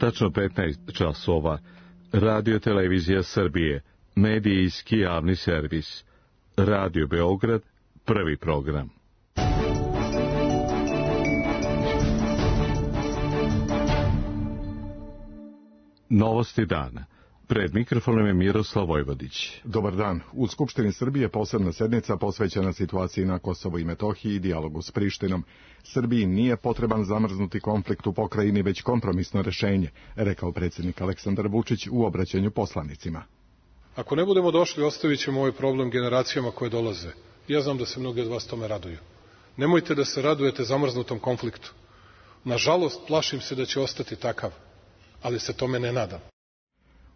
Tačno 15 časova. Radio Televizija Srbije, medijski javni servis. Radio Beograd, prvi program. Novosti dana. Pred mikrofonom je Miroslav Vojvodić. Dobar dan. U Skupštini Srbije posebna sednica posvećena situaciji na Kosovu i Metohiji i dijalogu s Prištinom. Srbiji nije potreban zamrznuti konflikt u pokrajini, već kompromisno rešenje, rekao predsjednik Aleksandar Vučić u obraćanju poslanicima. Ako ne budemo došli, ostavit ćemo ovaj problem generacijama koje dolaze. Ja znam da se mnogi od vas tome raduju. Nemojte da se radujete zamrznutom konfliktu. Nažalost, plašim se da će ostati takav, ali se tome ne nadam.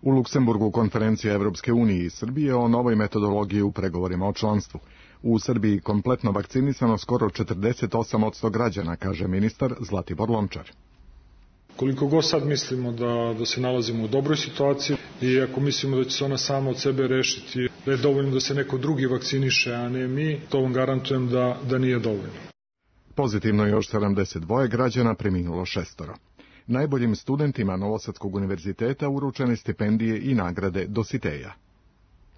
U Luksemburgu konferencija Evropske unije i Srbije o novoj metodologiji u pregovorima o članstvu. U Srbiji kompletno vakcinisano skoro 48% građana, kaže ministar Zlatibor Lončar. Koliko god sad mislimo da se nalazimo u dobroj situaciji i ako mislimo da će se ona sama od sebe rešiti, da je dovoljno da se neko drugi vakciniše, a ne mi, to vam garantujem da nije dovoljno. Pozitivno je još 72 građana, preminulo 6. Najboljim studentima Novosadskog univerziteta uručene stipendije i nagrade Dositeja.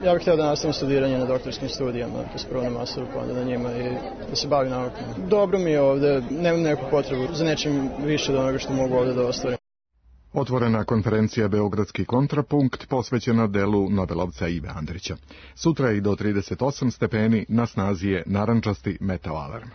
Ja bih htio da nastavim studiranje na doktorskim studijama, prvo na masteru, pa onda na njima i da se bavim naukom. Dobro mi je ovde, nemam neku potrebu za nečim više od onoga što mogu ovde da ostvarim. Otvorena konferencija Beogradski kontrapunkt posvećena delu Nobelovca Ive Andrića. Sutra i do 38 stepeni na snazi je narandžasti meteo alarm.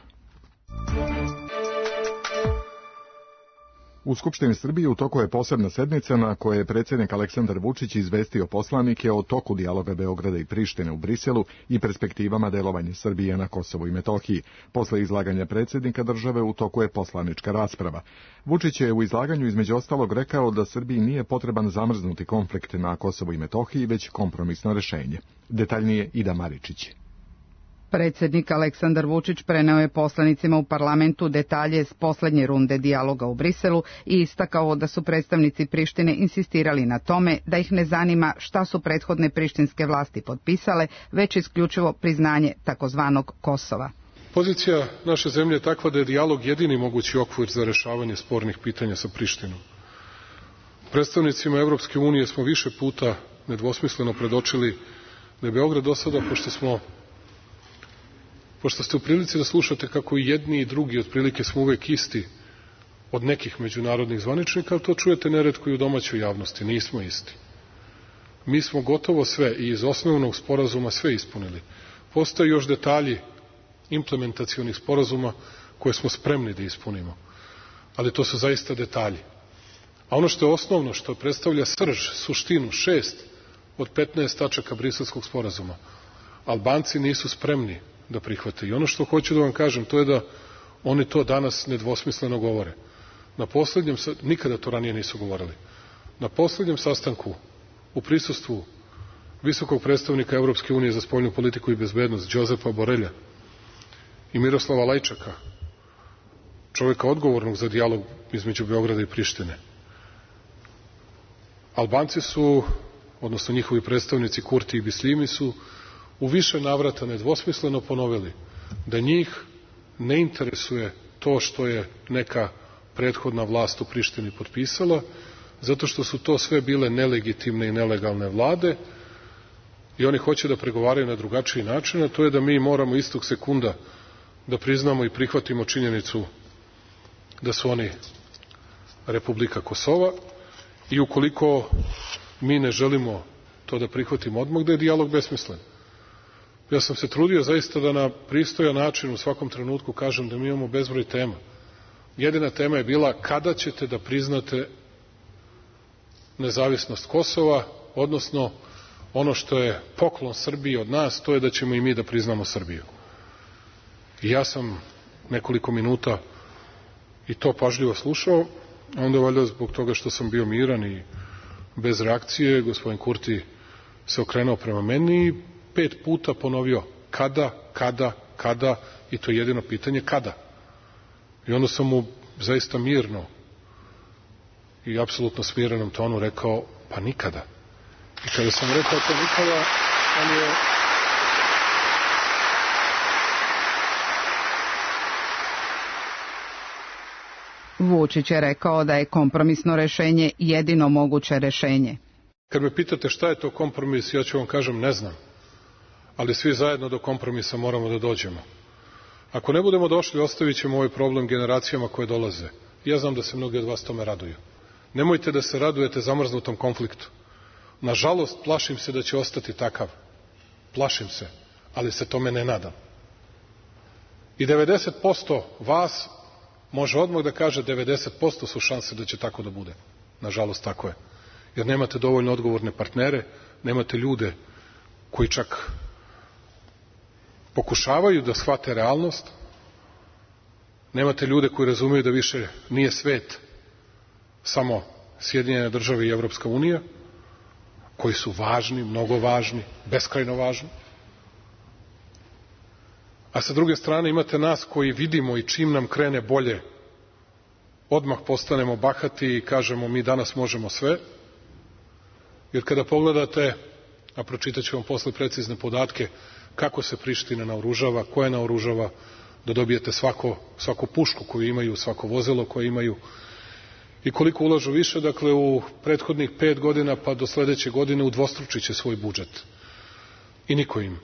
U Skupštini Srbije u toku je posebna sednica na kojoj je predsjednik Aleksandar Vučić izvestio poslanike o toku dijaloga Beograda i Prištine u Briselu i perspektivama delovanja Srbije na Kosovu i Metohiji. Posle izlaganja predsjednika države u toku je poslanička rasprava. Vučić je u izlaganju između ostalog rekao da Srbiji nije potreban zamrznuti konflikt na Kosovu i Metohiji, već kompromisno rešenje. Detaljnije Ida Maričić. Predsjednik Aleksandar Vučić preneo je poslanicima u parlamentu detalje s poslednje runde dijaloga u Briselu i istakao da su predstavnici Prištine insistirali na tome da ih ne zanima šta su prethodne prištinske vlasti potpisale, već isključivo priznanje takozvanog Kosova. Pozicija naše zemlje je takva da je dijalog jedini mogući okvir za rešavanje spornih pitanja sa Prištinom. Predstavnicima Evropske unije smo više puta nedvosmisleno predočili da je Beograd do sada, pošto ste u prilici da slušate kako i jedni i drugi otprilike smo uvek isti od nekih međunarodnih zvaničnika, ali to čujete neretko i u domaćoj javnosti, nismo isti. Mi smo gotovo sve i iz osnovnog sporazuma sve ispunili. Postoje još detalji implementacionih sporazuma koje smo spremni da ispunimo, ali to su zaista detalji. A ono što je osnovno, što predstavlja srž, suštinu, 6 od 15 tačaka Briselskog sporazuma, Albanci nisu spremni da prihvate. I ono što hoću da vam kažem, to je da oni to danas nedvosmisleno govore. Nikada to ranije nisu govorili. Na poslednjem sastanku u prisustvu visokog predstavnika Evropske unije za spoljnu politiku i bezbednost, Đozepa Borelja i Miroslava Lajčaka, čovjeka odgovornog za dijalog između Beograda i Prištine, Albanci su, odnosno njihovi predstavnici Kurti i Bislimi su u više navrata nedvosmisleno ponovili da njih ne interesuje to što je neka prethodna vlast u Prištini potpisala, zato što su to sve bile nelegitimne i nelegalne vlade i oni hoće da pregovaraju na drugačiji način, a to je da mi moramo istog sekunda da priznamo i prihvatimo činjenicu da su oni Republika Kosova i ukoliko mi ne želimo to da prihvatimo odmah, da je dijalog besmislen. Ja sam se trudio zaista da na pristojan način u svakom trenutku kažem da mi imamo bezbroj tema. Jedina tema je bila kada ćete da priznate nezavisnost Kosova, odnosno ono što je poklon Srbiji od nas, to je da ćemo i mi da priznamo Srbiju. I ja sam nekoliko minuta i to pažljivo slušao, a onda valjda zbog toga što sam bio miran i bez reakcije, gospodin Kurti se okrenuo prema meni i 5 puta ponovio kada i to je jedino pitanje kada. I onda sam mu zaista mirno i apsolutno smirenom tonu rekao pa nikada. I kada sam rekao to nikada, on je Vučić je rekao da je kompromisno rešenje jedino moguće rešenje. Kad me pitate šta je to kompromis, ja ću vam kažem ne znam, ali svi zajedno do kompromisa moramo da dođemo. Ako ne budemo došli, ostavit ćemo ovaj problem generacijama koje dolaze. Ja znam da se mnogi od vas tome raduju. Nemojte da se radujete zamrznutom konfliktu. Nažalost, plašim se da će ostati takav. Plašim se, ali se tome ne nadam. I 90% vas može odmah da kaže 90% su šanse da će tako da bude. Nažalost, tako je. Jer nemate dovoljno odgovorne partnere, nemate ljude koji čak pokušavaju da shvate realnost, nemate ljude koji razumeju da više nije svet samo Sjedinjene države i Evropska unija, koji su važni, mnogo važni, beskrajno važni. A sa druge strane imate nas koji vidimo i čim nam krene bolje, odmah postanemo bahati i kažemo mi danas možemo sve. Jer kada pogledate, a pročitat ću vam posle precizne podatke, kako se Priština naoružava, ko je naoružava, da dobijete svaku pušku koju imaju, svako vozilo koje imaju i koliko ulažu više, dakle u prethodnih 5 godina pa do sledeće godine udvostručit će svoj budžet. I niko im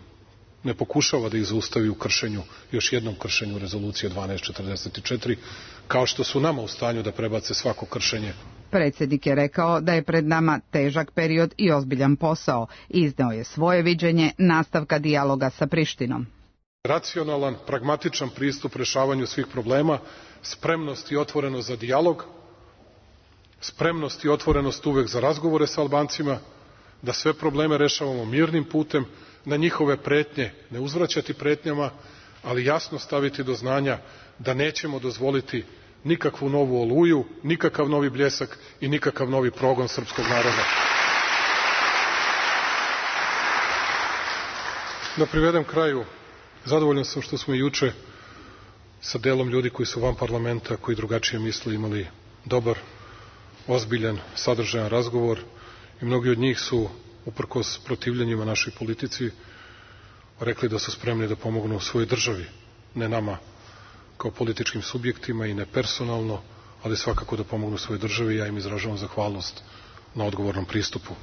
ne pokušava da ih zaustavi u kršenju, još jednom kršenju rezolucije 1244, kao što su nama u stanju da prebace svako kršenje. Predsjednik je rekao da je pred nama težak period i ozbiljan posao. Izneo je svoje viđenje nastavka dijaloga sa Prištinom. Racionalan, pragmatičan pristup rešavanju svih problema, spremnost i otvorenost za dijalog, spremnost i otvorenost uvek za razgovore sa Albancima, da sve probleme rešavamo mirnim putem, na njihove pretnje ne uzvraćati pretnjama, ali jasno staviti do znanja da nećemo dozvoliti nikakvu novu oluju, nikakav novi bljesak i nikakav novi progon srpskog naroda. Da privedem kraju, zadovoljan sam što smo juče sa delom ljudi koji su van parlamenta, koji drugačije misle, imali dobar, ozbiljan, sadržajan razgovor i mnogi od njih su, uprkos protivljenjima našoj politici, rekli da su spremni da pomognu svojoj državi, ne nama kao političkim subjektima i ne personalno, ali svakako da pomognu svojoj državi i ja im izražavam zahvalnost na odgovornom pristupu.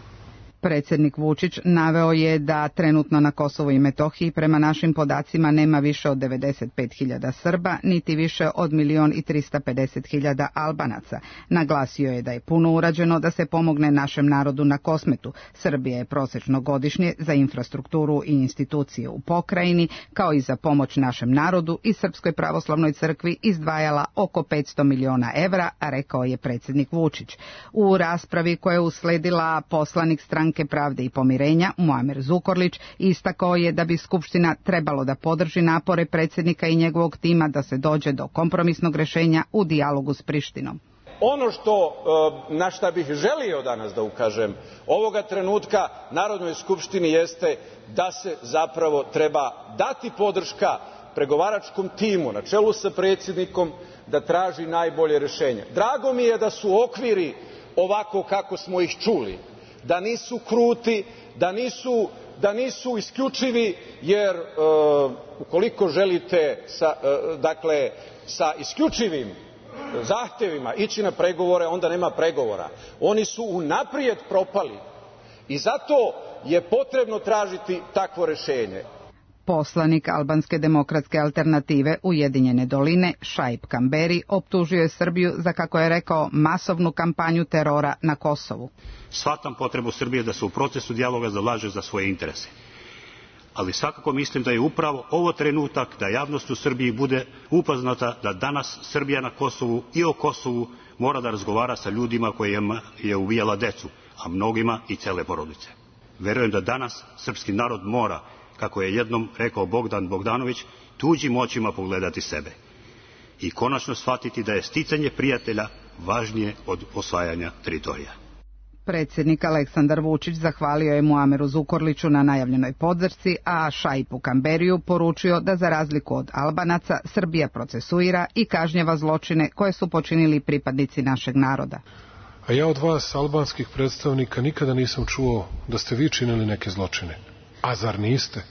Predsjednik Vučić naveo je da trenutno na Kosovu i Metohiji prema našim podacima nema više od 95.000 Srba, niti više od 1.350.000 Albanaca. Naglasio je da je puno urađeno da se pomogne našem narodu na Kosmetu. Srbija je prosečno godišnje za infrastrukturu i institucije u pokrajini, kao i za pomoć našem narodu i Srpskoj pravoslavnoj crkvi izdvajala oko 500 miliona evra, rekao je predsjednik Vučić. U raspravi koja je usledila, poslanik Stranke pravde i pomirenja Muamer Zukorlić istakao je da bi Skupština trebalo da podrži napore predsjednika i njegovog tima da se dođe do kompromisnog rešenja u dijalogu s Prištinom. Ono na šta bih želio danas da ukažem ovoga trenutka Narodnoj skupštini jeste da se zapravo treba dati podrška pregovaračkom timu na čelu sa predsjednikom da traži najbolje rešenje. Drago mi je da su okviri ovako kako smo ih čuli, da nisu kruti, da nisu isključivi, jer ukoliko želite sa isključivim zahtevima ići na pregovore, onda nema pregovora. Oni su unaprijed propali i zato je potrebno tražiti takvo rešenje. Poslanik Albanske demokratske alternative Ujedinjene doline Šaip Kamberi optužio je Srbiju za, kako je rekao, masovnu kampanju terora na Kosovu. Shvatam potrebu Srbije da se u procesu dijaloga zalaže za svoje interese. Ali svakako mislim da je upravo ovo trenutak da javnost u Srbiji bude upoznata da danas Srbija na Kosovu i o Kosovu mora da razgovara sa ljudima kojima je ubijala decu, a mnogima i cele porodice. Verujem da danas srpski narod mora, kako je jednom rekao Bogdan Bogdanović, tuđim očima pogledati sebe i konačno shvatiti da je sticanje prijatelja važnije od osvajanja teritorija. Predsjednik Aleksandar Vučić zahvalio je Muameru Zukorliću na najavljenoj podršci, a Šaipu Kamberiju poručio da za razliku od Albanaca Srbija procesuira i kažnjava zločine koje su počinili pripadnici našeg naroda. A ja od vas, albanskih predstavnika, nikada nisam čuo da ste vi činili neke zločine. A zar niste?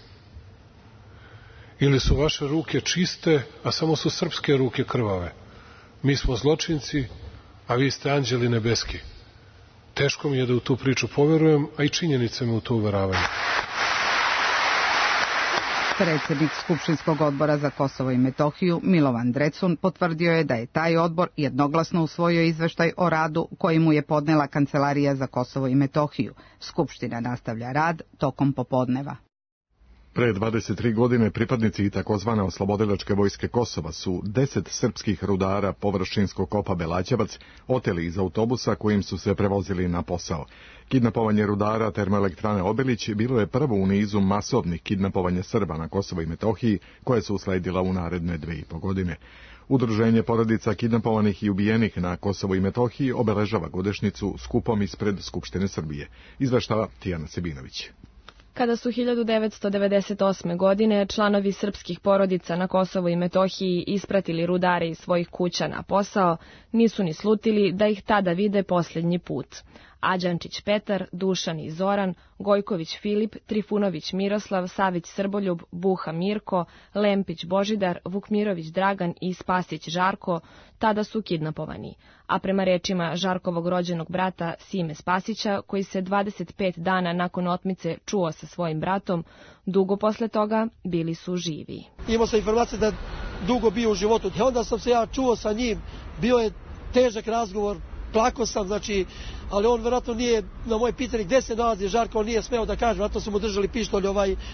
Ili su vaše ruke čiste, a samo su srpske ruke krvave? mi smo zločinci, a vi ste anđeli nebeski. Teško mi je da u tu priču poverujem, a i činjenice me u to uveravaju. Predsjednik Skupštinskog odbora za Kosovo i Metohiju Milovan Drecun potvrdio je da je taj odbor jednoglasno usvojio izveštaj o radu koji mu je podnela Kancelarija za Kosovo i Metohiju. Skupština nastavlja rad tokom popodneva. Pre 23 godine pripadnici takozvane oslobodilačke vojske Kosova su 10 srpskih rudara površinskog kopa Belaćevac oteli iz autobusa kojim su se prevozili na posao. Kidnapovanje rudara termoelektrane Obilić bilo je prvo u nizu masovnih kidnapovanja Srba na Kosovo i Metohiji, koje su usledila u naredne 2,5 godine. Udruženje porodica kidnapovanih i ubijenih na Kosovu i Metohiji obeležava godišnjicu skupom ispred Skupštine Srbije. Izveštava Tijana Sebinović. Kada su 1998. godine članovi srpskih porodica na Kosovu i Metohiji ispratili rudare iz svojih kuća na posao, nisu ni slutili da ih tada vide posljednji put. Ađančić Petar, Dušan i Zoran, Gojković Filip, Trifunović Miroslav, Savić Srboljub, Buha Mirko, Lempić Božidar, Vukmirović Dragan i Spasić Žarko tada su kidnapovani, a prema rečima Žarkovog rođenog brata Sime Spasića, koji se 25 dana nakon otmice čuo sa svojim bratom, dugo posle toga bili su živi. Imao sam informacije da dugo bio u životu, onda sam se ja čuo sa njim, bio je težak razgovor, plako sam, ali on vjerojatno nije, na moje pitanje gde se nalazi Žarko, on nije smeo da kaže, vjerojatno su mu držali pištolj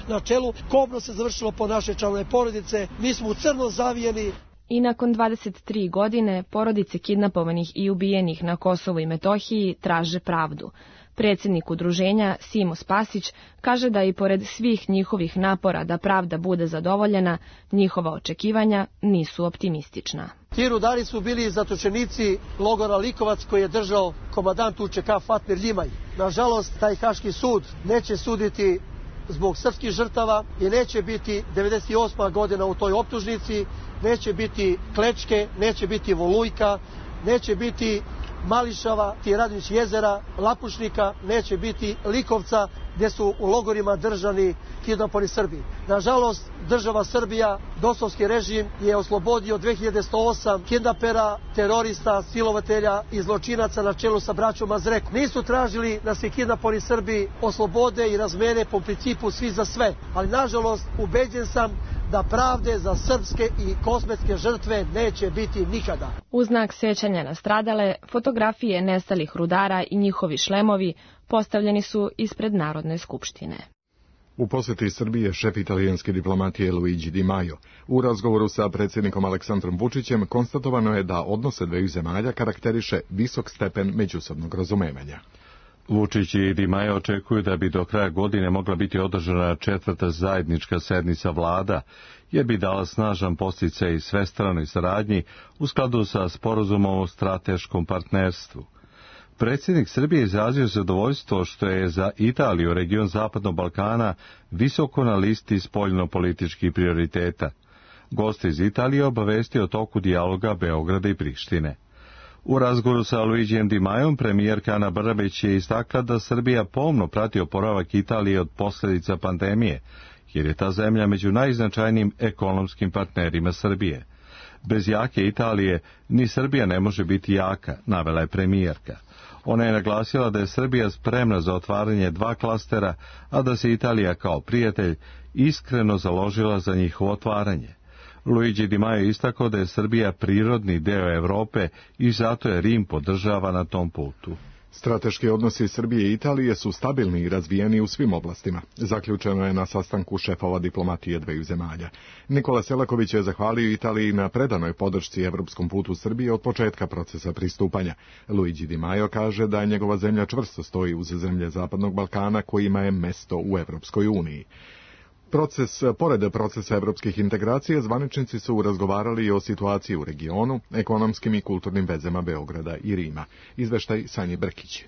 na čelu. Kobno se završilo po naše članove porodice, mi smo u crno zavijeni. I nakon 23 godine porodice kidnapovanih i ubijenih na Kosovu i Metohiji traže pravdu. Predsjednik udruženja Simo Spasić kaže da i pored svih njihovih napora da pravda bude zadovoljena, njihova očekivanja nisu optimistična. Ti rudari su bili zatočenici logora Likovac koji je držao komandant UČK Fatmir Ljimaj. Nažalost, taj Haški sud neće suditi zbog srpskih žrtava i neće biti 98. godina u toj optužnici, neće biti Klečke, neće biti Volujka, neće biti Mališava, Radnić jezera, Lapušnika, neće biti Likovca, gdje su u logorima držani kidnapovani Srbi. Nažalost, država Srbija, dosovski režim, je oslobodio 2108 kidnapera, terorista, silovatelja i zločinaca na čelu sa braćom Mazreku. Nisu tražili da se kidnapovani Srbi oslobode i razmene po principu svi za sve, ali nažalost ubeđen sam da pravde za srpske i kosmetske žrtve neće biti nikada. U znak sećanja na stradale, fotografije nestalih rudara i njihovi šlemovi postavljeni su ispred Narodne skupštine. U posjeti Srbije šef italijanske diplomatije Luigi Di Maio. U razgovoru sa predsjednikom Aleksandrom Vučićem konstatovano je da odnose dveju zemalja karakteriše visok stepen međusobnog razumevanja. Vučić i Di Maio očekuju da bi do kraja godine mogla biti održana 4. zajednička sednica vlada, jer bi dala snažan podsticaj svestranoj saradnji u skladu sa sporazumom o strateškom partnerstvu. Predsjednik Srbije izrazio zadovoljstvo što je za Italiju region Zapadnog Balkana visoko na listi spoljno-političkih prioriteta. Gost iz Italije obavestio o toku dijaloga Beograda i Prištine. U razgovoru sa Luigijem Di Maiom premijerka Ana Brnabić je istakla da Srbija pomno prati oporavak Italije od posljedica pandemije, jer je ta zemlja među najznačajnijim ekonomskim partnerima Srbije. Bez jake Italije ni Srbija ne može biti jaka, navela je premijerka. Ona je naglasila da je Srbija spremna za otvaranje 2 klastera, a da se Italija kao prijatelj iskreno založila za njihovo otvaranje. Luigi Di Maio istakao da je Srbija prirodni deo Europe i zato je Rim podržava na tom putu. Strateški odnosi Srbije i Italije su stabilni i razvijeni u svim oblastima. Zaključeno je na sastanku šefova diplomatije dveju zemalja. Nikola Selaković je zahvalio Italiji na predanoj podršci evropskom putu Srbije od početka procesa pristupanja. Luigi Di Maio kaže da njegova zemlja čvrsto stoji uz zemlje Zapadnog Balkana kojima je mesto u Evropskoj uniji. Pored procesa evropskih integracija, zvaničnici su razgovarali i o situaciji u regionu, ekonomskim i kulturnim vezama Beograda i Rima. Izveštaj Sanje Brkić.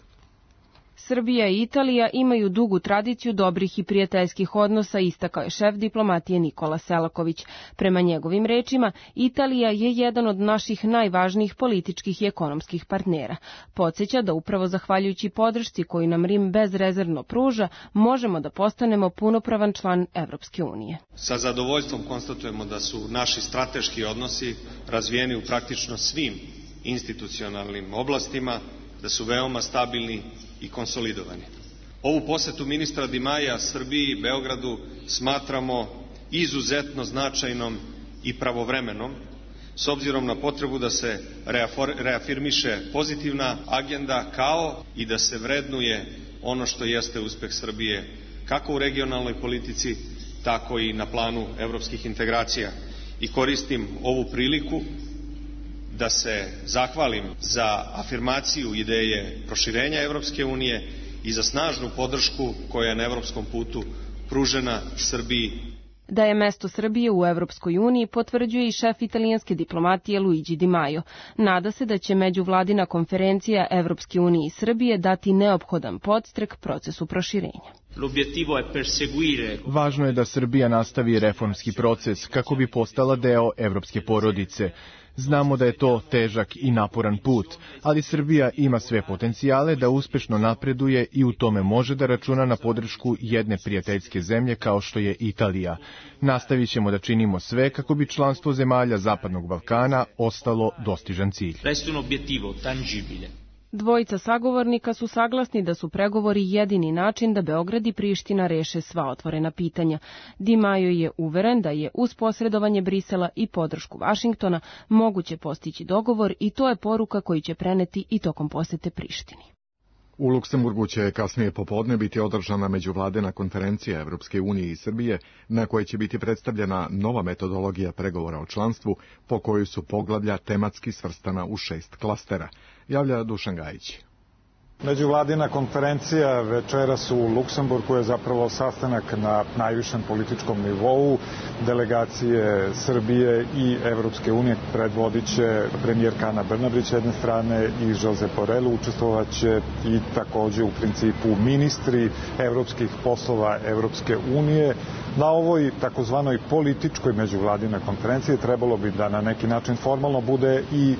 Srbija i Italija imaju dugu tradiciju dobrih i prijateljskih odnosa, istakao je šef diplomatije Nikola Selaković. Prema njegovim rečima, Italija je jedan od naših najvažnijih političkih i ekonomskih partnera. Podsjeća da upravo zahvaljujući podršci koju nam Rim bezrezervno pruža, možemo da postanemo punopravan član Evropske unije. Sa zadovoljstvom konstatujemo da su naši strateški odnosi razvijeni u praktično svim institucionalnim oblastima, da su veoma stabilni i konsolidovani. Ovu posetu ministra Dimaja Srbiji i Beogradu smatramo izuzetno značajnom i pravovremenom, s obzirom na potrebu da se reafirmiše pozitivna agenda, kao i da se vrednuje ono što jeste uspeh Srbije, kako u regionalnoj politici, tako i na planu evropskih integracija. I koristim ovu priliku da se zahvalim za afirmaciju ideje proširenja Evropske unije i za snažnu podršku koja je na evropskom putu pružena Srbiji. Da je mesto Srbije u Evropskoj uniji potvrđuje i šef italijanske diplomatije Luigi Di Maio. Nada se da će međuvladina konferencija Evropske unije i Srbije dati neophodan podstrek procesu proširenja. Važno je da Srbija nastavi reformski proces kako bi postala deo evropske porodice. Znamo da je to težak i naporan put, ali Srbija ima sve potencijale da uspešno napreduje i u tome može da računa na podršku jedne prijateljske zemlje kao što je Italija. Nastavit ćemo da činimo sve kako bi članstvo zemalja Zapadnog Balkana ostalo dostižan cilj. Dvojica sagovornika su saglasni da su pregovori jedini način da Beograd i Priština reše sva otvorena pitanja. Di Maio je uveren da je uz posredovanje Brisela i podršku Vašingtona moguće postići dogovor i to je poruka koju će preneti i tokom posete Prištini. U Luksemburgu će kasnije popodne biti održana međuvladina konferencija Evropske unije i Srbije, na kojoj će biti predstavljena nova metodologija pregovora o članstvu, po kojoj su poglavlja tematski svrstana u 6 klastera, javlja Dušan Gajić. Međuvladina konferencija večeras u Luksemburgu je zapravo sastanak na najvišem političkom nivou. Delegacije Srbije i Evropske unije predvodit će premijerka Ana Brnabić s jedne strane i Josep Borrell, učestvovaće i takođe u principu ministri evropskih poslova Evropske unije. Na ovoj takozvanoj političkoj međuvladinoj konferenciji trebalo bi da na neki način formalno bude i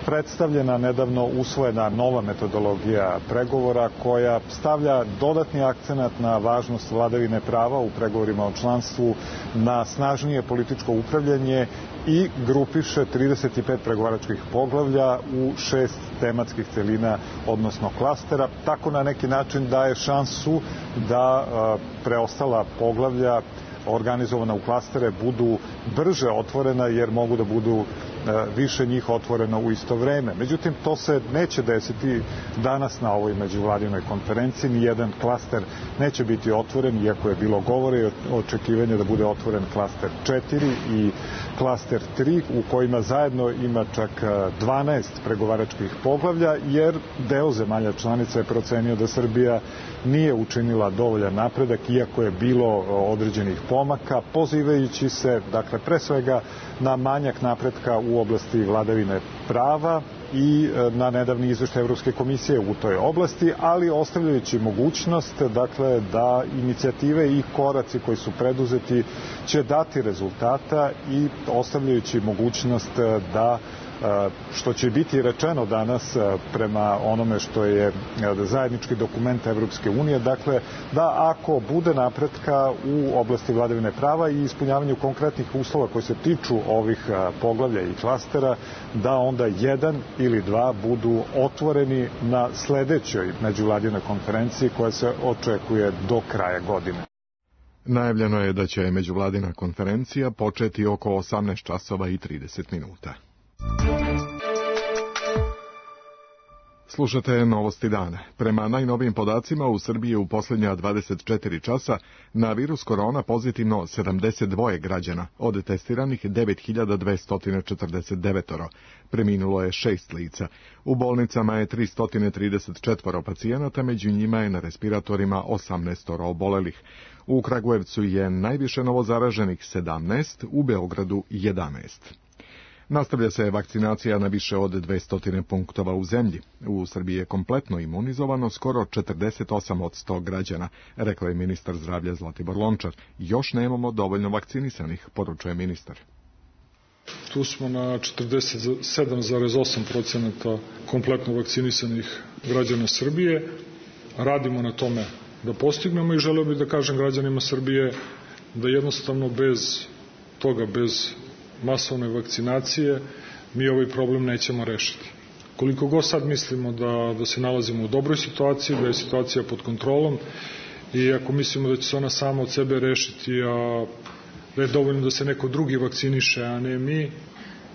predstavljena nedavno usvojena nova metodologija pregovora koja stavlja dodatni akcenat na važnost vladavine prava u pregovorima o članstvu, na snažnije političko upravljanje i grupiše 35 pregovaračkih poglavlja u 6 tematskih celina, odnosno klastera. Tako na neki način daje šansu da preostala poglavlja organizovana u klastere budu brže otvorena jer mogu da budu više njih otvoreno u isto vreme. Međutim, to se neće desiti danas na ovoj međuvladinoj konferenciji. Nijedan klaster neće biti otvoren, iako je bilo govore i očekivanje da bude otvoren klaster 4 i klaster 3, u kojima zajedno ima čak 12 pregovaračkih poglavlja, jer deo zemalja članica je procenio da Srbija nije učinila dovoljan napredak, iako je bilo određenih pomaka, pozivajući se, dakle, pre svega na manjak napretka u oblasti vladavine prava i na nedavni izveštaj Evropske komisije u toj oblasti, ali ostavljajući mogućnost, dakle, da inicijative i koraci koji su preduzeti će dati rezultata i ostavljajući mogućnost da, što će biti rečeno danas prema onome što je zajednički dokument Evropske unije, dakle, da ako bude napretka u oblasti vladavine prava i ispunjavanju konkretnih uslova koji se tiču ovih poglavlja i klastera, da onda jedan ili dva budu otvoreni na sledećoj međuvladinoj konferenciji koja se očekuje do kraja godine. Najavljeno je da će međuvladina konferencija početi oko 18 časova i 30 minuta. Slušate Novosti dana. Prema najnovijim podacima, u Srbiji u posljednja 24 časa na virus korona pozitivno 72 građana, od testiranih 9249. Preminulo je 6 lica. U bolnicama je 334 pacijenata, među njima je na respiratorima 18 obolelih. U Kragujevcu je najviše novozaraženih 17, u Beogradu 11. Nastavlja se vakcinacija na više od 200 punktova u zemlji. U Srbiji je kompletno imunizovano skoro 48% građana, rekao je ministar zdravlja Zlatibor Lončar. Još nemamo dovoljno vakcinisanih, poručuje ministar. Tu smo na 47,8% kompletno vakcinisanih građana Srbije. Radimo na tome da postignemo i želeo bih da kažem građanima Srbije da jednostavno bez toga, bez masovne vakcinacije, mi ovaj problem nećemo rešiti. Koliko god sad mislimo da se nalazimo u dobroj situaciji, da je situacija pod kontrolom i ako mislimo da će se ona sama od sebe rešiti, a da je dovoljno da se neko drugi vakciniše, a ne mi,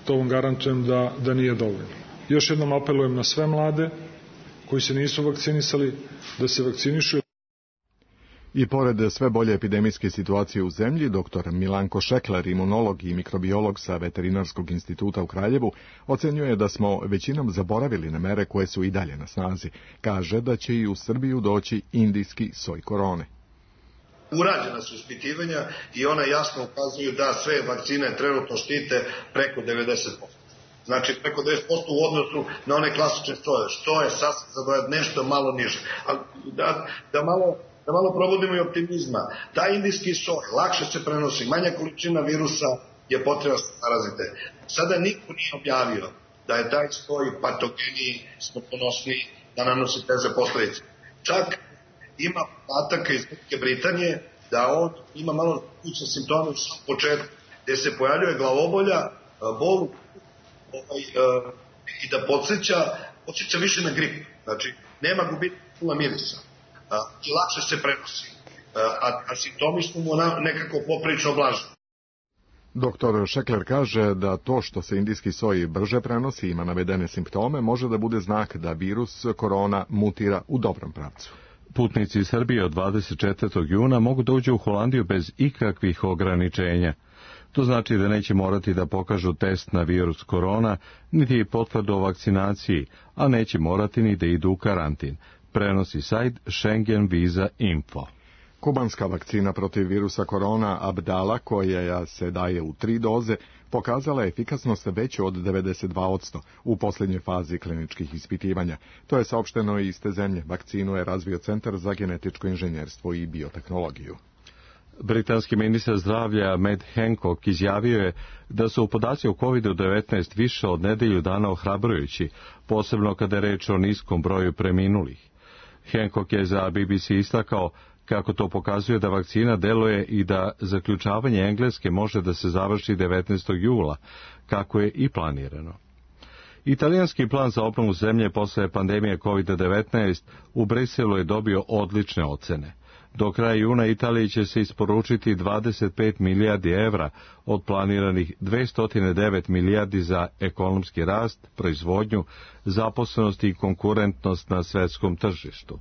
to vam garantujem da nije dovoljno. Još jednom apelujem na sve mlade koji se nisu vakcinisali da se vakcinišu. I pored sve bolje epidemijske situacije u zemlji, dr. Milanko Šekler, imunolog i mikrobiolog sa Veterinarskog instituta u Kraljevu, ocenjuje da smo većinom zaboravili na mere koje su i dalje na snazi. Kaže da će i u Srbiju doći indijski soj korone. Urađena su ispitivanja i ona jasno ukazuju da sve vakcine trenutno štite preko 90%. Znači preko 90% u odnosu na one klasične sojeve, što je sasvim za nešto malo niže. Da malo probudimo i optimizma. Taj indijski soj lakše se prenosi, manja količina virusa je potrebna za parazite. Sada niko nije objavio da je taj soj patogeniji, smrtonosniji, da nanosi teže posledice. Čak ima podataka iz Velike Britanije da on ima malo kućne simptome u samom početku, gde se pojavljuje glavobolja, bol i da podsjeća više na grip. Znači, nema gubitka mirisa. I lakše se prenosi, a simptomi su mu nekako poprilično blaži. Dr. Šekler kaže da to što se indijski soj brže prenosi i ima navedene simptome može da bude znak da virus korona mutira u dobrom pravcu. Putnici iz Srbije od 24. juna mogu da uđu u Holandiju bez ikakvih ograničenja. To znači da neće morati da pokažu test na virus korona, niti potvrdu o vakcinaciji, a neće morati ni da idu u karantin. Prenosi sajt Schengen Visa Info. Kubanska vakcina protiv virusa korona Abdala, koja se daje u 3 doze, pokazala je efikasnost veću od 92% u posljednjoj fazi kliničkih ispitivanja. To je saopšteno iz te zemlje. Vakcinu je razvio Centar za genetičko inženjerstvo i biotehnologiju. Britanski ministar zdravlja Matt Hancock izjavio je da su podaci o COVID-19 više od nedelju dana ohrabrujući, posebno kada je reč o niskom broju preminulih. Hancock je za BBC istakao kako to pokazuje da vakcina deluje i da zaključavanje Engleske može da se završi 19. jula, kako je i planirano. Italijanski plan za obnovu zemlje posle pandemije COVID-19 u Briselu je dobio odlične ocene. Do kraja juna Italiji će se isporučiti 25 milijardi evra od planiranih 209 milijardi za ekonomski rast, proizvodnju, zaposlenost i konkurentnost na svetskom tržištu.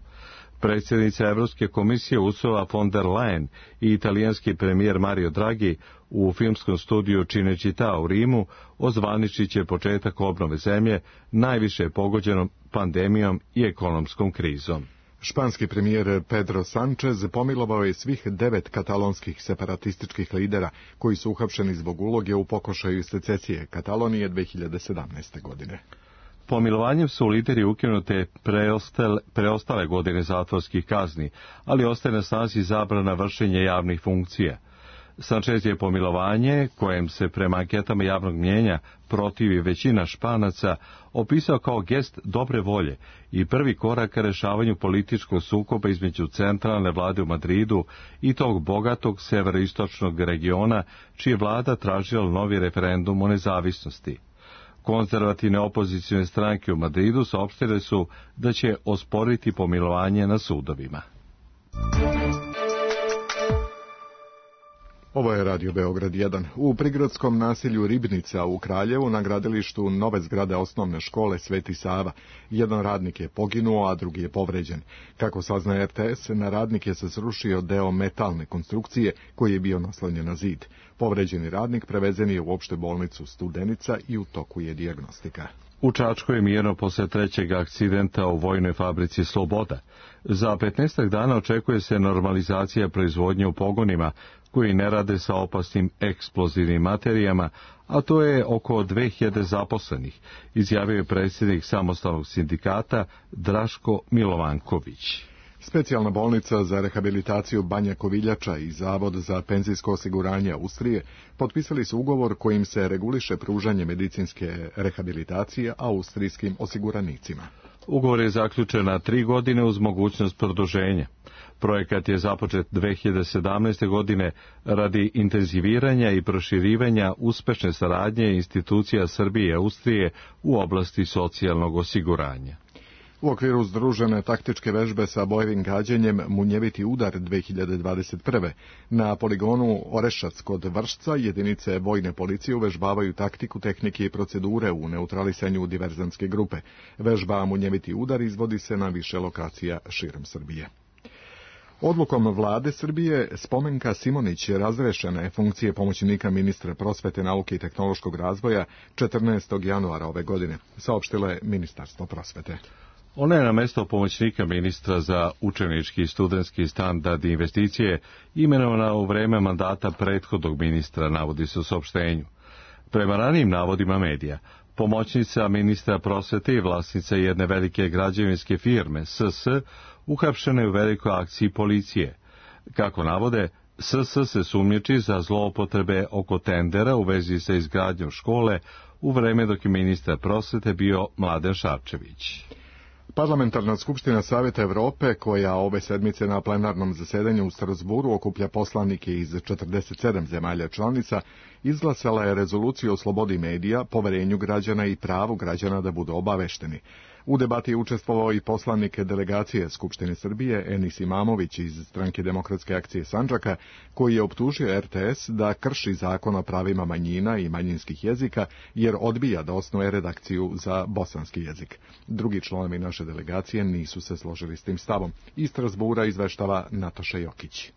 Predsjednica Evropske komisije Ursula von der Leyen i italijanski premijer Mario Draghi u filmskom studiju Cinecittà u Rimu ozvaničit će početak obnove zemlje najviše pogođenom pandemijom i ekonomskom krizom. Španski premijer Pedro Sánchez pomilovao je svih 9 katalonskih separatističkih lidera koji su uhapšeni zbog uloge u pokušaju secesije Katalonije 2017. godine. Pomilovanjem su lideri ukinute preostale godine zatvorskih kazni, ali ostaje na snazi zabrana vršenja javnih funkcija. Sanchez je pomilovanje, kojem se prema anketama javnog mnjenja protivi većina Španaca, opisao kao gest dobre volje i prvi korak ka rešavanju političkog sukoba između centralne vlade u Madridu i tog bogatog severoistočnog regiona, čiji je vlada tražila novi referendum o nezavisnosti. Konzervativne opozicione stranke u Madridu saopštile su da će osporiti pomilovanje na sudovima. Ovo je Radio Beograd 1. U prigradskom naselju Ribnica u Kraljevu na gradilištu nove zgrade osnovne škole Sveti Sava. Jedan radnik je poginuo, a drugi je povređen. Kako sazna RTS, na radnike se srušio deo metalne konstrukcije koji je bio naslonjen na zid. Povređeni radnik prevezen je u opšte bolnicu Studenica i u toku je dijagnostika. U Čačku je mirno posle trećeg akcidenta u vojnoj fabrici Sloboda. Za 15 dana očekuje se normalizacija proizvodnje u pogonima koji ne rade sa opasnim eksplozivnim materijama, a to je oko 2000 zaposlenih, izjavio je predsjednik samostalnog sindikata Draško Milovanković. Specijalna bolnica za rehabilitaciju Banja Koviljača i Zavod za penzijsko osiguranje Austrije potpisali su ugovor kojim se reguliše pružanje medicinske rehabilitacije austrijskim osiguranicima. Ugovor je zaključen na 3 godine uz mogućnost produženja. Projekat je započet 2017. godine radi intenziviranja i proširivanja uspešne saradnje institucija Srbije i Austrije u oblasti socijalnog osiguranja. U okviru združene taktičke vežbe sa bojevim gađanjem Munjeviti udar 2021. na poligonu Orešac kod Vršca jedinice vojne policije uvežbavaju taktiku, tehnike i procedure u neutralisanju diverzantske grupe. Vežba Munjeviti udar izvodi se na više lokacija širom Srbije. Odlukom vlade Srbije Spomenka Simonić razrešena je funkcije pomoćnika ministra prosvete, nauke i tehnološkog razvoja 14. januara ove godine, saopštilo je Ministarstvo prosvete. Ona je na mesto pomoćnika ministra za učenički i studentski standard i investicije imenovana u vreme mandata prethodnog ministra, navodi se u saopštenju. Prema ranijim navodima medija, pomoćnica ministra prosvete i vlasnica jedne velike građevinske firme, SS, uhapšena je u velikoj akciji policije. Kako navode, SS se sumnjiči za zloupotrebe oko tendera u vezi sa izgradnjom škole u vreme dok je ministar prosvete bio Mladen Šarčević. Parlamentarna skupština Saveta Evrope, koja ove sedmice na plenarnom zasedanju u Strasburu okuplja poslanike iz 47 zemalja članica, izglasala je rezoluciju o slobodi medija, poverenju građana i pravu građana da budu obavešteni. U debati je učestvovao i poslanik delegacije Skupštine Srbije Enis Imamović iz Stranke demokratske akcije Sandžaka, koji je optužio RTS da krši zakon o pravima manjina i manjinskih jezika, jer odbija da osnuje redakciju za bosanski jezik. Drugi članovi naše delegacije nisu se složili s tim stavom. Iz Strasbura izveštava Nataša Jokić.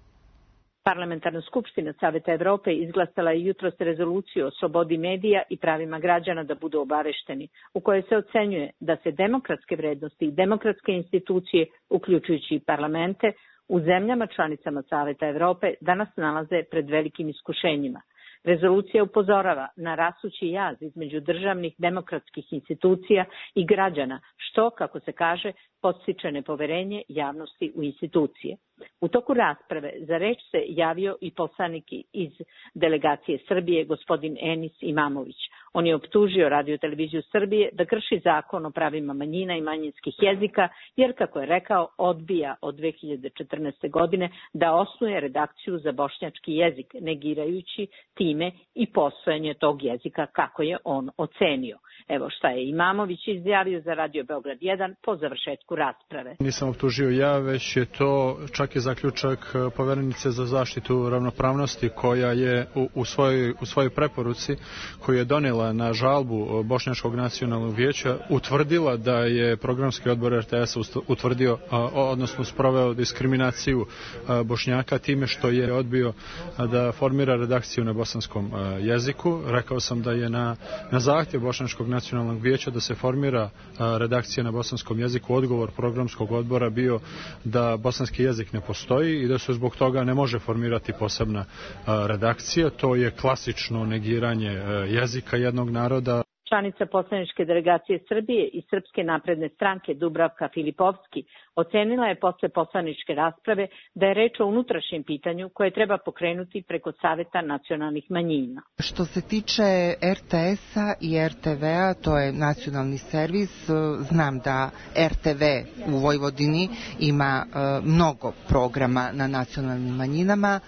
Parlamentarna skupština Saveta Evrope izglasala je jutros rezoluciju o slobodi medija i pravima građana da budu obavešteni, u kojoj se ocenjuje da se demokratske vrednosti i demokratske institucije, uključujući i parlamente, u zemljama članicama Saveta Evrope danas nalaze pred velikim iskušenjima. Rezolucija upozorava na rasući jaz između državnih demokratskih institucija i građana, što, kako se kaže, podstiče nepoverenje javnosti u institucije. U toku rasprave za reč se javio i poslanik iz delegacije Srbije, gospodin Enis Imamović. On je optužio Radio-televiziju Srbije da krši zakon o pravima manjina i manjinskih jezika, jer, kako je rekao, odbija od 2014. godine da osnuje redakciju za bošnjački jezik, negirajući time i postojanje tog jezika kako je on ocenio. Evo šta je Imamović izjavio za Radio Beograd 1 po završetku rasprave. Nisam optužio ja, već je to čak i zaključak poverenice za zaštitu ravnopravnosti, koja je u svojoj preporuci koju je donijela na žalbu Bošnjačkog nacionalnog vijeća utvrdila da je programski odbor RTS utvrdio, odnosno sproveo diskriminaciju Bošnjaka time što je odbio da formira redakciju na bosanskom jeziku. Rekao sam da je na zahtjev Bošnjačkog nacionalnog vijeća da se formira redakcija na bosanskom jeziku, odgovor programskog odbora bio da bosanski jezik ne postoji i da se zbog toga ne može formirati posebna redakcija. To je klasično negiranje jezika jednog naroda. Članica poslaničke delegacije Srbije i Srpske napredne stranke Dubravka Filipovski ocenila je posle poslaničke rasprave da je reč o unutrašnjem pitanju koje treba pokrenuti preko Saveta nacionalnih manjina. Što se tiče RTS-a i RTV-a, to je nacionalni servis, znam da RTV u Vojvodini ima mnogo programa na nacionalnim manjinama.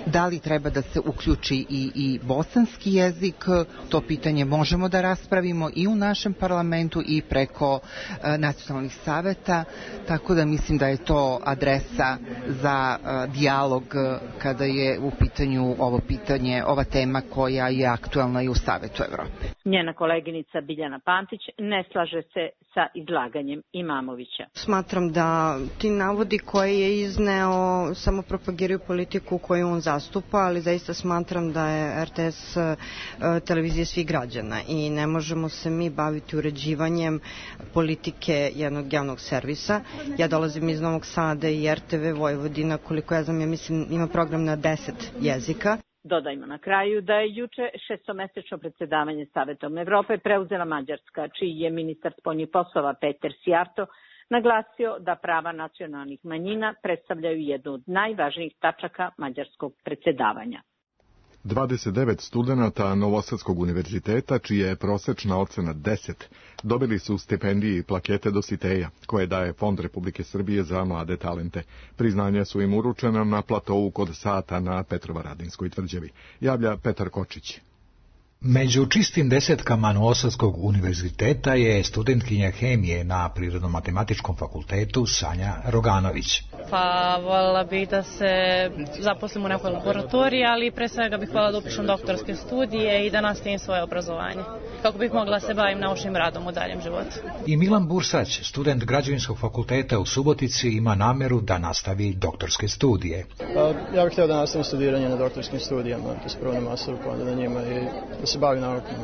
Da li treba da se uključi i bosanski jezik, to pitanje možemo da raspravimo i u našem parlamentu i preko nacionalnih saveta, tako da mislim da je to adresa za dijalog kada je u pitanju ova tema koja je aktualna i u Savetu Evrope. Njena koleginica Biljana Pantić ne slaže se sa izlaganjem Imamovića. Smatram da ti navodi koje je izneo samo propagiraju politiku koju on zastupa, ali zaista smatram da je RTS televizija svih građana i ne možemo se mi baviti uređivanjem politike jednog javnog servisa. Ja dolazim iz Novog Sada i RTV Vojvodina, koliko ja znam, ja mislim ima program na 10 jezika. Dodajmo na kraju da je juče šestomesečno predsedavanje Savetom Evrope preuzela Mađarska, čiji je ministar spoljnih poslova Peter Sijarto naglasio da prava nacionalnih manjina predstavljaju jednu od najvažnijih tačaka mađarskog predsedavanja. 29 studenata Novosadskog univerziteta, čija je prosečna ocena 10, dobili su stipendije i plakete Dositeja, koje daje Fond Republike Srbije za mlade talente. Priznanja su im uručena na platovu kod Sata na Petrovaradinskoj tvrđavi. Javlja Petar Kočić. Među čistim desetkama Novosadskog univerziteta je studentkinja hemije na Prirodno-matematičkom fakultetu Sanja Roganović. Pa voljela bih da se zaposlim u nekoj laboratoriji, ali pre svega bih voljela da upišem doktorske studije i da nastavim svoje obrazovanje, kako bih mogla se bavim naučnim radom u daljem životu. I Milan Bursać, student Građevinskog fakulteta u Subotici, ima nameru da nastavi doktorske studije. Ja bih htio da nastavim studiranje na doktorskim studijama, to je prvo na masteru, pa onda na njima i da se bavim naukom.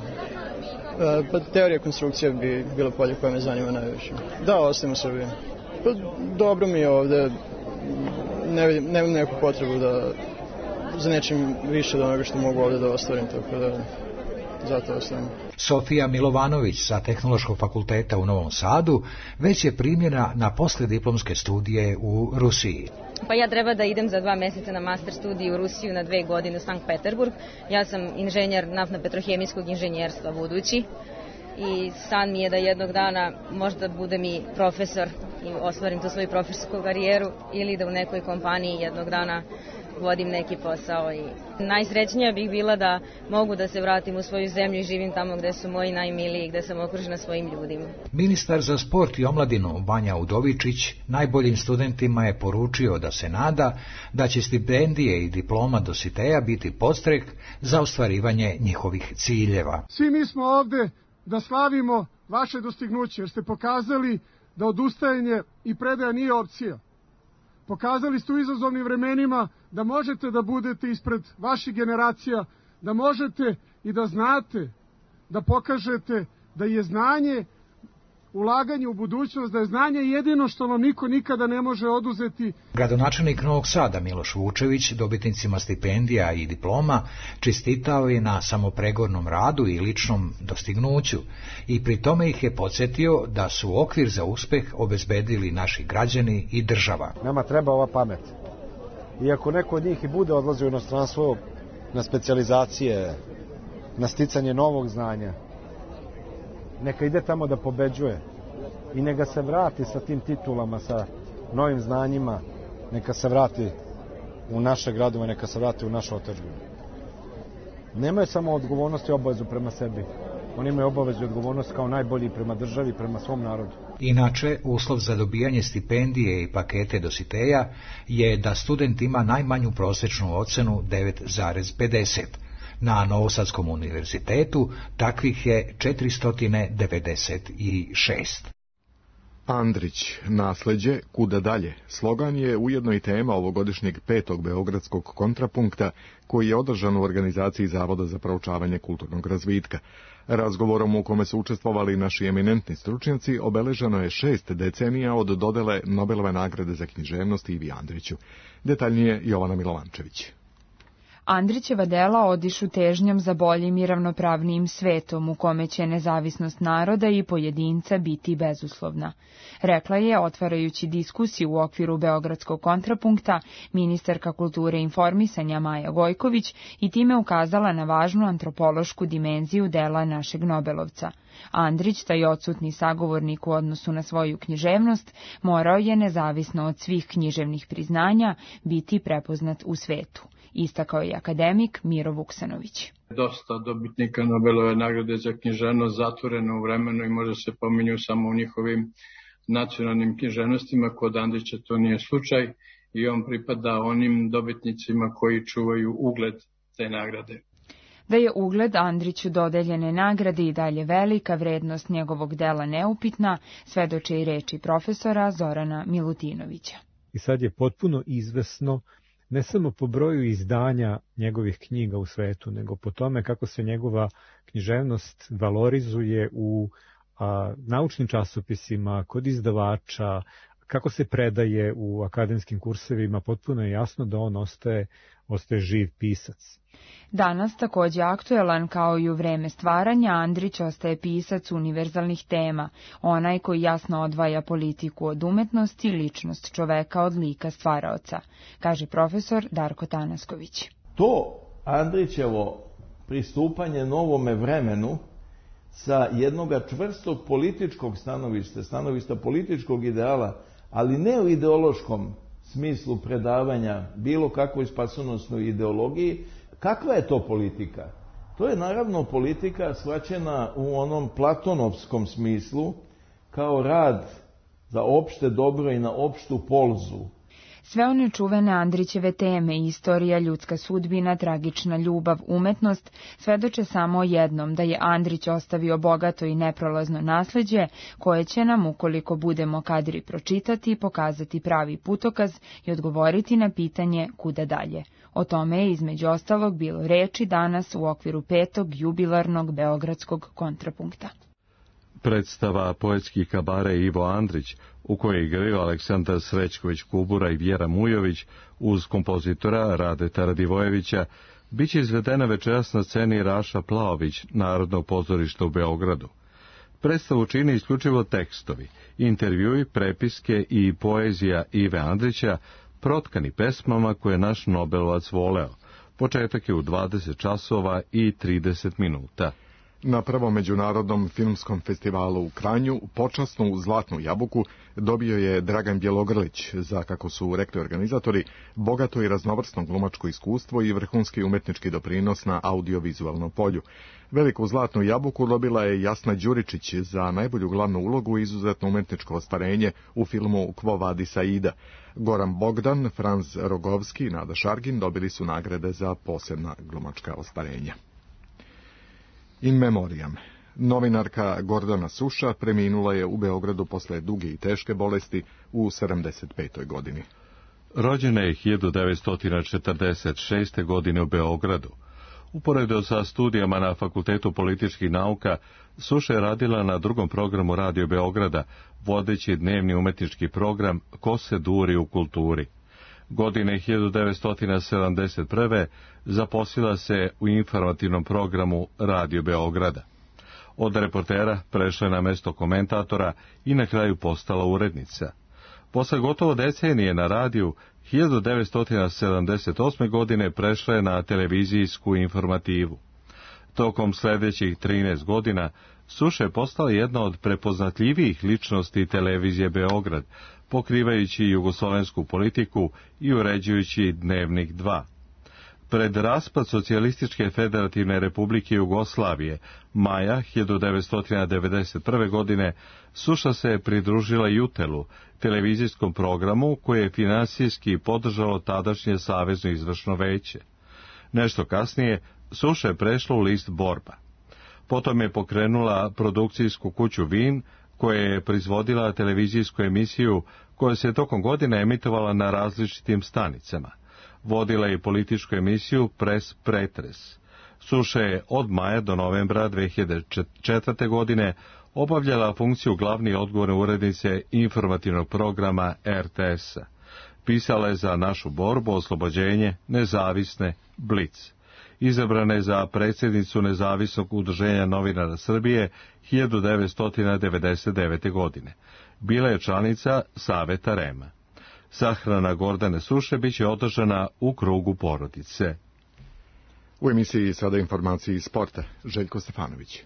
Pa teorija konstrukcije bi bilo polje koje me zanima najviše. Da, ostajem u Srbiji. Pa dobro mi je ovde, nemam neku potrebu da za nečim više od onoga što mogu ovde da ostvarim, tako da zato ostajem. Sofija Milovanović sa Tehnološkog fakulteta u Novom Sadu već je primljena na poslijediplomske studije u Rusiji. Pa ja treba da idem za 2 meseca na master studiju u Rusiju na 2 godine u Sankt Peterburg. Ja sam inženjer naftno-petrohemijskog inženjerstva budući i san mi je da jednog dana možda budem i profesor i ostvarim tu svoju profesorsku karijeru ili da u nekoj kompaniji jednog dana vodim neki posao. I najsrećnija bih bila da mogu da se vratim u svoju zemlju i živim tamo gde su moji najmiliji, gde sam okružena svojim ljudima. Ministar za sport i omladinu Vanja Udovičić najboljim studentima je poručio da se nada da će stipendije i diploma Dositeja biti podstrek za ostvarivanje njihovih ciljeva. Svi mi smo ovde da slavimo vaše dostignuće, jer ste pokazali da odustajanje i predaja nije opcija. Pokazali ste u izazovnim vremenima da možete da budete ispred vaših generacija, da možete i da znate, da pokažete da je znanje, ulaganje u budućnost, da je znanje jedino što vam niko nikada ne može oduzeti. Gradonačelnik Novog Sada Miloš Vučević dobitnicima stipendija i diploma čestitao je na samopregornom radu i ličnom dostignuću i pri tome ih je podsjetio da su okvir za uspeh obezbedili naši građani i država. Nama treba ova pamet. I ako neko od njih i bude odlazio u inostranstvo na specijalizacije, na sticanje novog znanja, neka ide tamo da pobeđuje i neka se vrati sa tim titulama, sa novim znanjima, neka se vrati u naše gradove, neka se vrati u našu otadžbinu. Nemaju samo odgovornost i obavezu prema sebi, oni imaju obavezu i odgovornost kao najbolji prema državi, prema svom narodu. Inače, uslov za dobijanje stipendije i pakete Dositeja je da student ima najmanju prosečnu ocenu 9,50. Na Novosadskom univerzitetu takvih je 496. Andrić, nasleđe, kuda dalje? Slogan je ujedno i tema ovogodišnjeg 5. Beogradskog kontrapunkta koji je održan u organizaciji Zavoda za proučavanje kulturnog razvitka. Razgovorom u kome su učestvovali naši eminentni stručnjaci obeleženo je 6 decenija od dodele Nobelove nagrade za književnost Ivi Andriću. Detaljnije Jovana Milovančević. Andrićeva dela odišu težnjom za boljim i ravnopravnijim svetom u kome će nezavisnost naroda i pojedinca biti bezuslovna. Rekla je, otvarajući diskusiju u okviru Beogradskog kontrapunkta, ministarka kulture i informisanja Maja Gojković i time ukazala na važnu antropološku dimenziju dela našeg Nobelovca. Andrić, taj odsutni sagovornik u odnosu na svoju književnost, morao je, nezavisno od svih književnih priznanja, biti prepoznat u svetu. Istakao je akademik Miro Vuksanović. Dosta dobitnika Nobelove nagrade za književnost zatvoreno u vremenu i možda se pominju samo u njihovim nacionalnim književnostima. Kod Andrića to nije slučaj i on pripada onim dobitnicima koji čuvaju ugled te nagrade. Da je ugled Andriću dodeljene nagrade i dalje velika, vrednost njegovog dela neupitna, svedoče i reči profesora Zorana Milutinovića. I sad je potpuno izvesno, ne samo po broju izdanja njegovih knjiga u svetu, nego po tome kako se njegova književnost valorizuje u naučnim časopisima, kod izdavača, kako se predaje u akademskim kursevima, potpuno je jasno da on ostaje živ pisac. Danas, takođe aktuelan kao i u vreme stvaranja, Andrić ostaje pisac univerzalnih tema, onaj koji jasno odvaja politiku od umetnosti i ličnost čoveka od lika stvaraoca, kaže profesor Darko Tanasković. To Andrićevo pristupanje novome vremenu sa jednoga čvrstog političkog stanovišta političkog ideala, ali ne u ideološkom smislu predavanja bilo kakvoj spasonosnoj ideologiji. Kakva je to politika? To je naravno politika shvaćena u onom platonovskom smislu kao rad za opšte dobro i na opštu polzu. Sve one čuvene Andrićeve teme, istorija, ljudska sudbina, tragična ljubav, umetnost, svedoče samo o jednom, da je Andrić ostavio bogato i neprolazno nasleđe, koje će nam, ukoliko budemo kadri pročitati, pokazati pravi putokaz i odgovoriti na pitanje kuda dalje. O tome je između ostalog bilo reči danas u okviru 5. jubilarnog beogradskog kontrapunkta. Predstava poetski kabare Ivo Andrić, u kojoj igraju Aleksandar Srećković-Kubura i Vjera Mujović, uz kompozitora Radeta Radivojevića, bit će izvedena večeras na sceni Raša Plaović, Narodnog pozorišta u Beogradu. Predstavu čini isključivo tekstovi, intervjui, prepiske i poezija Ive Andrića, protkani pesmama koje naš Nobelovac voleo. Početak je u 20 časova i 30 minuta. Na prvom međunarodnom filmskom festivalu u Kranju počasnu Zlatnu jabuku dobio je Dragan Bjelogrlić za, kako su rekli organizatori, bogato i raznovrsno glumačko iskustvo i vrhunski umetnički doprinos na audiovizualnom polju. Veliku Zlatnu jabuku dobila je Jasna Đuričić za najbolju glavnu ulogu i izuzetno umetničko ostvarenje u filmu Quo Vadis Aida. Goran Bogdan, Franz Rogovski i Nada Šargin dobili su nagrade za posebna glumačka ostvarenja. In memoriam. Novinarka Gordana Suša preminula je u Beogradu posle duge i teške bolesti u 75. godini. Rođena je 1946. godine u Beogradu. Uporedo sa studijama na Fakultetu političkih nauka, Suša je radila na drugom programu Radio Beograda, vodeći dnevni umetnički program Ko se duri u kulturi. Godine 1971. zaposlila se u informativnom programu Radio Beograda. Od reportera prešla je na mesto komentatora i na kraju postala urednica. Posle gotovo decenije na radiju, 1978. godine prešla je na televizijsku informativu. Tokom sljedećih 13 godina Suša je postala jedna od prepoznatljivijih ličnosti televizije Beograd, pokrivajući jugoslovensku politiku i uređujući Dnevnik 2. Pred raspad Socijalističke federativne republike Jugoslavije, maja 1991. godine, Suša se pridružila Jutelu, televizijskom programu koje je finansijski podržalo tadašnje Savezno izvršno veće. Nešto kasnije, Suša je prešla u list Borba. Potom je pokrenula produkcijsku kuću Vin, koja je proizvodila televizijsku emisiju koja se tokom godine emitovala na različitim stanicama. Vodila je političku emisiju Pres Pretres. Suša je od maja do novembra 2004. godine obavljala funkciju glavne odgovorne urednice informativnog programa RTS-a. Pisala je za Našu borbu, Oslobođenje, Nezavisne, Blic. Izabrana je za predsjednicu Nezavisnog udruženja novinara Srbije 1999. godine. Bila je članica Saveta REM-a. Sahrana Gordane Suše biće održana u krugu porodice. U emisiji sada informacije iz sporta. Željko Stefanović.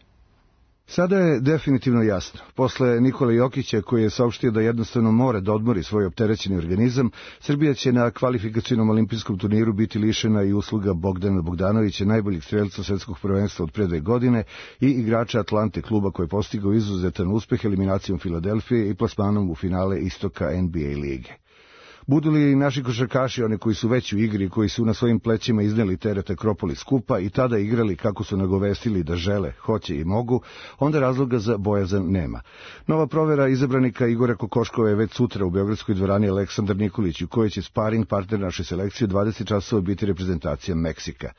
Sada je definitivno jasno. Posle Nikole Jokića, koji je saopštio da jednostavno mora da odmori svoj opterećeni organizam, Srbija će na kvalifikacionom olimpijskom turniru biti lišena i usluga Bogdana Bogdanovića, najboljeg strelca svetskog prvenstva od pre 2 godine i igrača Atlante, kluba koji je postigao izuzetan uspeh eliminacijom Filadelfije i plasmanom u finale istoka NBA lige. Budu li naši košarkaši, one koji su već u igri, koji su na svojim plećima izneli teret Akropolis skupa i tada igrali kako su nagovestili da žele, hoće i mogu, onda razloga za bojazan nema. Nova provera izabranika Igora Kokoškova je već sutra u beogradskoj dvorani Aleksandar Nikolić, u kojoj će sparing partner naše selekcije 20 časova biti reprezentacija Meksika.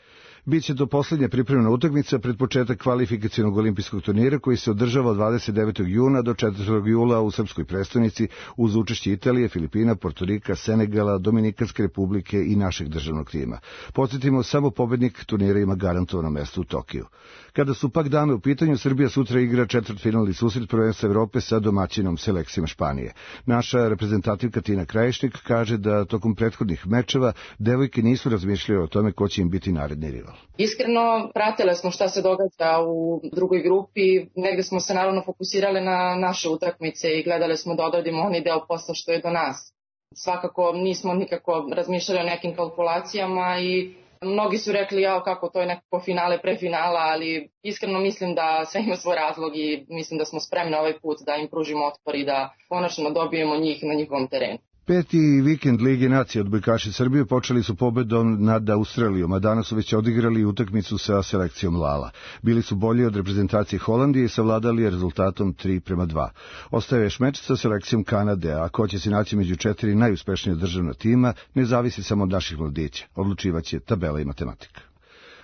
Biće to posljednja pripremna utakmica pred početak kvalifikacionog olimpijskog turnira koji se održava od 29. juna do 4. jula u srpskoj prestonici uz učešće Italije, Filipina, Portorika, Senegala, Dominikanske republike i našeg državnog tima. Podsjetimo, samo pobednik turnira ima garantovano mesto u Tokiju. Kada su pak dame u pitanju, Srbija sutra igra četvrtfinalni susret prvenstva Evrope sa domaćinom selekcijom Španije. Naša reprezentativka Tina Krajišnik kaže da tokom prethodnih mečeva devojke nisu razmišljale o tome ko će im biti naredni rival. Iskreno, pratile smo šta se događa u drugoj grupi, negde smo se naravno fokusirali na naše utakmice i gledali smo da odradimo onaj deo posla što je do nas. Svakako nismo nikako razmišljali o nekim kalkulacijama i mnogi su rekli kako to je nekako finale pre finala, ali iskreno mislim da sve ima svoj razlog i mislim da smo spremni ovaj put da im pružimo otpor i da konačno dobijemo njih na njihovom terenu. Peti vikend Lige nacije odbojkaši Srbije počeli su pobedom nad Australijom, a danas su već odigrali utakmicu sa selekcijom Lala. Bili su bolji od reprezentacije Holandije i savladali rezultatom 3:2. Ostaje još meč sa selekcijom Kanade, a ko će se naći među 4 najuspešnije državna tima ne zavisi samo od naših mladića. Odlučivaće tabela i matematika.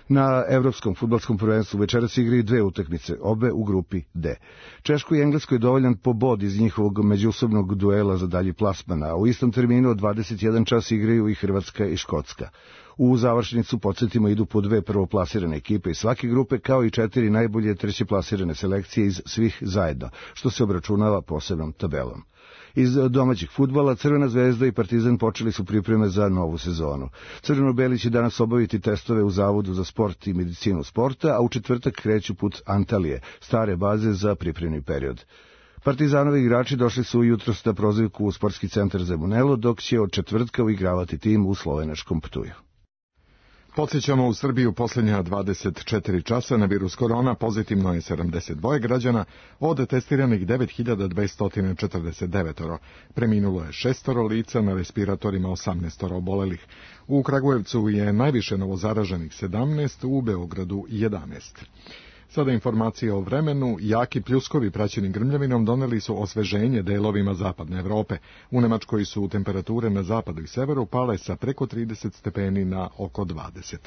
Na evropskom fudbalskom prvenstvu večeras igraju 2 utakmice, obe u grupi D. Češkoj i Engleskoj je dovoljan pobod iz njihovog međusobnog duela za dalji plasman, a u istom terminu od 21 čas igraju i Hrvatska i Škotska. U završnicu, podsjetimo, idu po 2 prvoplasirane ekipe iz svake grupe, kao i 4 najbolje trećeplasirane selekcije iz svih zajedno, što se obračunava posebnom tabelom. Iz domaćih fudbala Crvena zvezda i Partizan počeli su pripreme za novu sezonu. Crveno-beli će danas obaviti testove u Zavodu za sport i medicinu sporta, a u četvrtak kreću put Antalije, stare baze za pripremni period. Partizanovi igrači došli su jutros na prozivku u sportski centar Zemunelo, dok će od četvrtka uigravati tim u slovenačkom Ptuju. Podsjećamo, u Srbiji u posljednja 24 časa na virus korona pozitivno je 72 građana, od testiranih 9249. Preminulo je 6 lica, na respiratorima 18 obolelih. U Kragujevcu je najviše novozaraženih 17, u Beogradu 11. Sada informacije o vremenu. Jaki pljuskovi praćeni grmljavinom doneli su osveženje delovima zapadne Evrope. U Nemačkoj su temperature na zapadu i severu pale sa preko 30 stepeni na oko 20.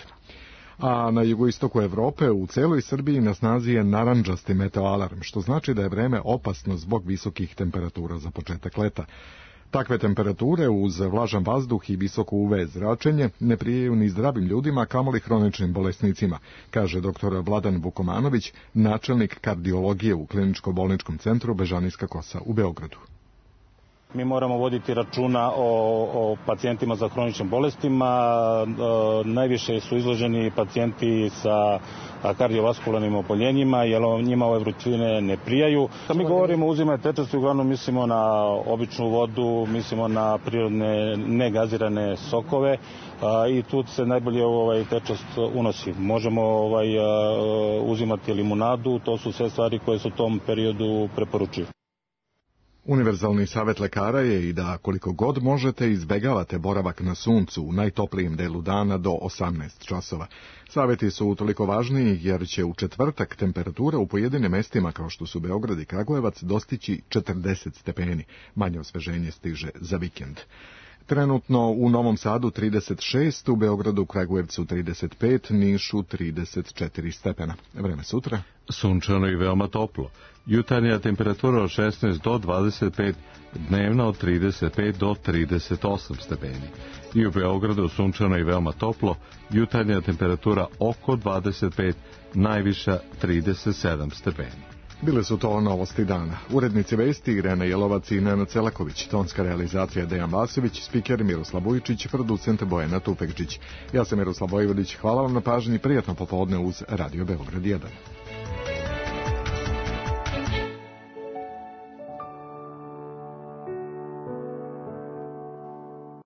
A na jugoistoku Evrope u celoj Srbiji na snazi je narandžasti meteoalarm, što znači da je vreme opasno zbog visokih temperatura za početak leta. Takve temperature uz vlažan vazduh i visoko UV zračenje ne prijaju ni zdravim ljudima, kamoli hroničnim bolesnicima, kaže dr. Vladan Vukomanović, načelnik kardiologije u Kliničko-bolničkom centru Bežanijska Kosa u Beogradu. Mi moramo voditi računa o pacijentima za hroničnim bolestima. Najviše su izloženi pacijenti sa kardiovaskularnim oboljenjima, jer njima ove vrućine ne prijaju. Kad mi govorimo o uzimanju tečnosti, uglavnom mislimo na običnu vodu, mislimo na prirodne negazirane sokove i tu se najbolje tečnost unosi. Možemo uzimati limunadu, to su sve stvari koje se u tom periodu preporučuju. Univerzalni savjet lekara je i da koliko god možete izbegavate boravak na suncu u najtoplijem delu dana do 18 časova. Savjeti su utoliko važniji jer će u četvrtak temperatura u pojedinim mestima kao što su Beograd i Kragujevac dostići 40 stepeni. Manje osveženje stiže za vikend. Trenutno u Novom Sadu 36, u Beogradu, Kragujevcu 35, Nišu 34 stepena. Vreme sutra. Sunčano i veoma toplo. Jutarnja temperatura od 16 do 25, dnevna od 35 do 38 stepeni. I u Beogradu sunčano i veoma toplo, jutarnja temperatura oko 25, najviša 37 stepeni. Bile su to novosti dana. Urednici vesti Irena Jelovac i Nenad Celaković, tonska realizacija Dejan Vasović, spiker Miroslav Vujičić, producent Bojana Tupekčić. Ja sam Miroslav Vojvodić, hvala vam na pažnji, prijatno popodne uz Radio Beograd 1.